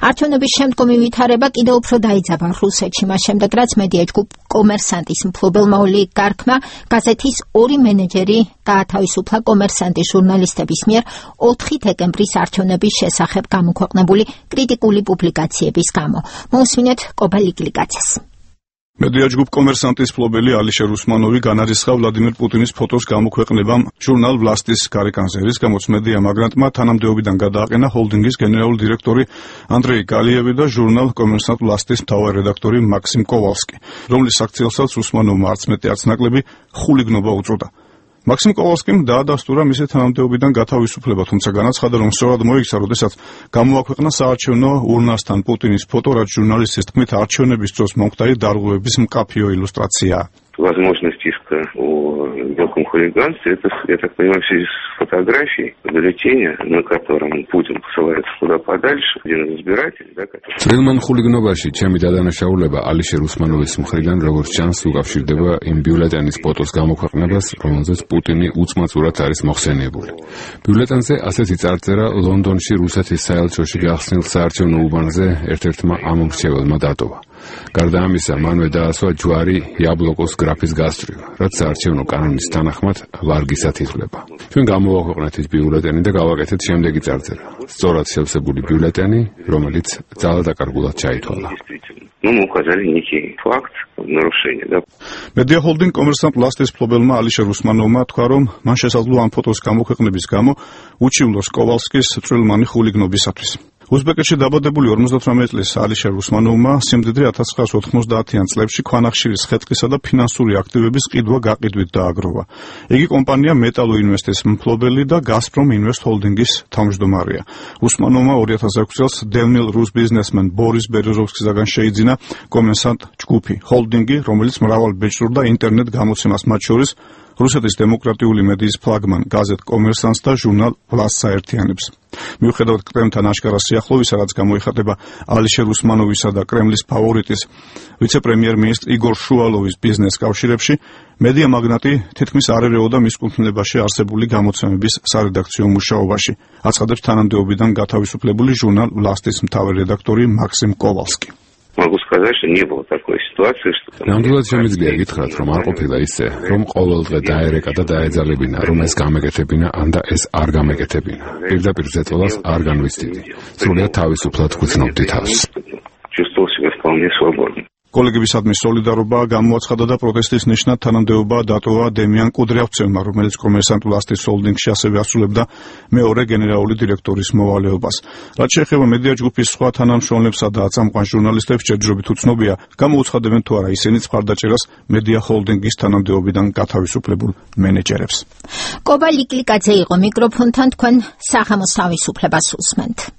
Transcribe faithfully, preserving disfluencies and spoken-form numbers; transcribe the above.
არჩევნების შემდგომი ვითარება კიდევ უფრო დაიძაბა რუსეთში, მას შემდეგ რაც მედია ჯგუფ კომერსანტის მფლობელმა ოლიგარქმა გაზეთის ორი მენეჯერი გაათავისუფლა კომერსანტის ჟურნალისტების მიერ ოთხი დეკემბრის არჩევნების შესახებ გამოქვეყნებული კრიტიკული პუბლიკაციების გამო. მოусმინეთ კობალიგლიკაცეს. მედია ჯგუფ კომერსანტის მფლობელი ალიშერ უსმანოვი განარისხა ვლადიმერ პუტინის ფოტოს გამოქვეყნებამ ჟურნალ ვლასტის გარეკანზე, რის გამოც მედია მაგრანტმა თანამდებობიდან გადააყენა ჰოლდინგის გენერალური დირექტორი ანდრეი გალიევი და ჟურნალ კომერსანტ ვლასტის მთავარი რედაქტორი მაქსიმ კოვალსკი, რომლის საქციელსაც უსმანოვმა არც მეტი არც ნაკლები ხულიგნობა უწოდა. მაქსიმ კოვალსკიმ დაადასტურა მისი თანამდებობიდან გათავისუფლება, თუმცა განაცხადა, რომ სწორად მოიქცა, როდესაც გამოაქვეყნა საარჩევნო ურნასთან პუტინის фото, რაც ჟურნალისტის თქმით არჩევნების დროს მომხდარი დარღვევების მკაფიო ილუსტრაციაა. Возможность иска о мелком хулиганстве, это, я так понимаю, в связи с фотографией бюллетеня, на котором Путин посылается куда подальше, один из избирателей, да, который... Црилман хулигნობაში ჩემი დადანაშაულება ალიშერ უსმანოვის მხრიდან, როგორც ჩანს, უკავშირდება იმ ბიულეტენის ფოტოს გამოქვეყნებას, რომელზეც პუტინი უცმაცურად არის მოხსენიებული. ბიულეტენზე ასეთი წარწერა ლონდონში რუსეთის საელჩოში გახსნილ საარჩევნო უბანზე ერთ-ერთმა ამომრჩეველმა დატოვა. გარდა ამისა, მანვე დაასვა ჯვარი იაბლოკოს გრაფის გასწვრივ, რაც საარჩევნო კანონის თანახმად ვარგისად ითვლება. ჩვენ გამოვაქვეყნეთ ის ბიულეტენი და გავაკეთეთ შემდეგი წარწერა. სწორად შევსებული ბიულეტენი, რომელიც ძალადაკარგულად ჩაითვალა. Ну, мы указали некий факт нарушения, да. Media Holding კომერსანტ ვლასტის მფლობელმა ალიშერ უსმანოვმა თქვა, რომ მან შესაძლოა ამ ფოტოს გამოქვეყნების გამო უჩივლოს კოვალსკის წვრილმანი ხულიგნობისათვის. უზბეკეთში დაბადებული ორმოცდათვრამეტი წლის ალიშერ უსმანოვმა სიმდიდრე ათას ცხრაას ოთხმოცდაათიან წლებში ქვანახშირის ხეთქისა და ფინანსური აქტივების ყიდვა-გაყიდვით დააგროვა. იგი კომპანია მეტალო ინვესტის მფლობელი და გაზპრომ ინვესტ ჰოლდინგის თავმჯდომარეა. უსმანოვმა ორი ათას ექვსი წელს დევნილ რუს ბიზნესმენ ბორის ბერეზოვსკისაგან შეიძინა კომერსანტ ჯგუფი ჰოლდინგი, რომელიც მრავალ ბეჭდურ და ინტერნეტ გამოცემას, მათ შორის რუსეთის დემოკრატიული მედიის ფლაგმან გაზეთ კომერსანტს და ჟურნალ ვლასტს აერთიანებს. მიუხედავად კრემლთან აშკარა სიახლოვისა, რაც გამოიხატება ალიშერ უსმანოვისა და კრემლის ფავორიტის ვიცე-პრემიერ-მინისტრ იგორ შუალოვის ბიზნეს კავშირებში, მედია მაგნატი თითქმის არ ერეოდა მის კუთვნილებაში არსებული გამოცემების სარედაქციო მუშაობაში, აცხადებს თანამდებობიდან გათავისუფლებული ჟურნალ ვლასტის მთავარი რედაქტორი მაქსიმ კოვალსკი. Могу сказать, что не было такой ситуации, что... ნამდვილად შემიძლია გითხრათ, რომ არ ყოფილა ისე, რომ ყოველ დღე დაერეკა და დაეძალებინა, რომ ეს გამეკეთებინა, ან და ეს არ გამეკეთებინა. პირდაპირ ზეწოლას არ განვიცდიდი. სრულიად თავისუფლად გვცნობდი თავს. Чувствовал себя вполне свободно. კოლეგებისადმი სოლიდარობა გამოაცხადა და პროტესტის ნიშნად თანამდებობა დატოვა დემიან კუდრიავცევმა, რომელიც კომერსანტ ვლასტის ჰოლდინგში ასევე ასრულებდა მეორე გენერალური დირექტორის მოვალეობას. რაც შეეხება მედია ჯგუფის სხვა თანამშრომლებსა და აწამყვან ჟურნალისტებს, ჯერჯერობით უცნობია, გამოუცხადებენ თუ არა ისინიც მხარდაჭერას მედია ჰოლდინგის თანამდებობიდან გათავისუფლებულ მენეჯერებს. კობალიგლიკაძე იყო მიკროფონთან, თქვენ საღამოს თავისუფლებას უსმენთ.